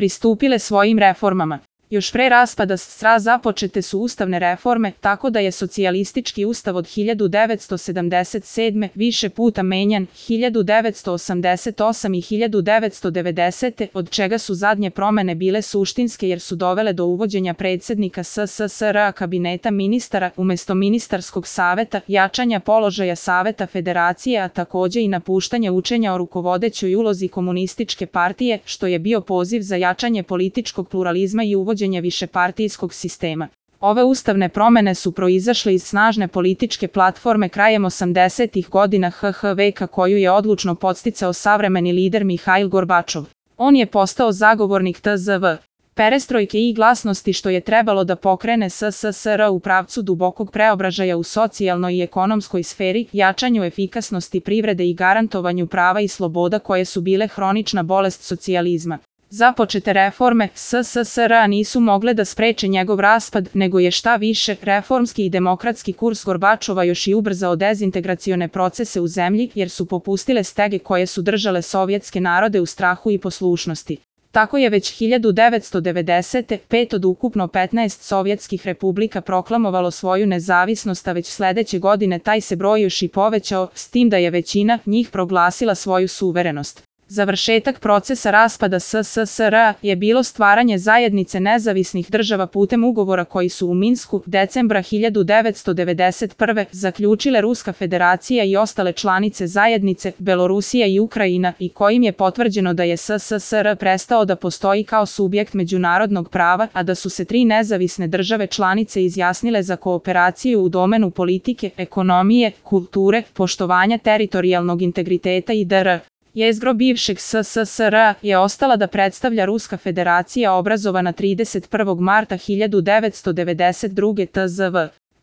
pristupile svojim reformama. Još pre raspada SRA započete su ustavne reforme, tako da je socijalistički ustav od 1977. više puta menjan, 1988. i 1990. od čega su zadnje promene bile suštinske jer su dovele do uvođenja predsjednika SSSR kabineta ministara umesto ministarskog saveta, jačanja položaja Saveta Federacije, a takođe i napuštanje učenja o rukovodećoj ulozi komunističke partije, što je bio poziv za jačanje političkog pluralizma i uvođenje višepartijskog sistema. Ove ustavne promene su proizašle iz snažne političke platforme krajem 80-ih godina HH koju je odlučno podsticao savremeni lider Mihajl Gorbačov. On je postao zagovornik TZV perestrojke i glasnosti što je trebalo da pokrene SSSR u pravcu dubokog preobražaja u socijalnoj i ekonomskoj sferi, jačanju efikasnosti privrede i garantovanju prava i sloboda koje su bile hronična bolest socijalizma. Započete reforme SSSR nisu mogle da spreče njegov raspad, nego je šta više, reformski i demokratski kurs Gorbačova još i ubrzao dezintegracione procese u zemlji, jer su popustile stege koje su držale sovjetske narode u strahu i poslušnosti. Tako je već 1990. 5 od ukupno 15 sovjetskih republika proklamovalo svoju nezavisnost, a već sledeće godine taj se broj još i povećao, s tim da je većina njih proglasila svoju suverenost. Završetak procesa raspada SSSR je bilo stvaranje zajednice nezavisnih država putem ugovora koji su u Minsku decembra 1991. zaključile Ruska federacija i ostale članice zajednice, Belorusija i Ukrajina, i kojim je potvrđeno da je SSSR prestao da postoji kao subjekt međunarodnog prava, a da su se 3 nezavisne države članice izjasnile za kooperaciju u domenu politike, ekonomije, kulture, poštovanja teritorijalnog integriteta i dr. Jezgro bivšeg SSSR je ostala da predstavlja Ruska federacija obrazovana 31. marta 1992. TZV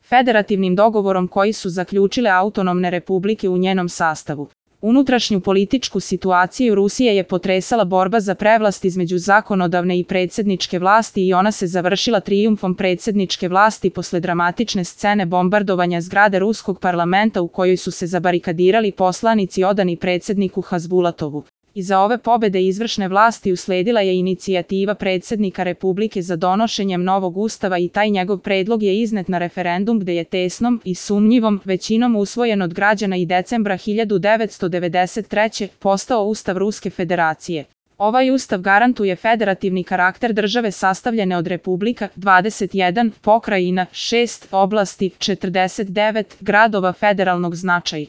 federativnim dogovorom koji su zaključile autonomne republike u njenom sastavu. Unutrašnju političku situaciju Rusije je potresala borba za prevlast između zakonodavne i predsjedničke vlasti i ona se završila trijumfom predsjedničke vlasti posle dramatične scene bombardovanja zgrade ruskog parlamenta u kojoj su se zabarikadirali poslanici odani predsjedniku Hazbulatovu. Iza ove pobede izvršne vlasti usledila je inicijativa predsjednika Republike za donošenjem novog ustava i taj njegov predlog je iznet na referendum gde je tesnom i sumnjivom većinom usvojen od građana i decembra 1993. postao Ustav Ruske federacije. Ovaj ustav garantuje federativni karakter države sastavljene od republika, 21 pokrajina, 6 oblasti, 49 gradova federalnog značaja.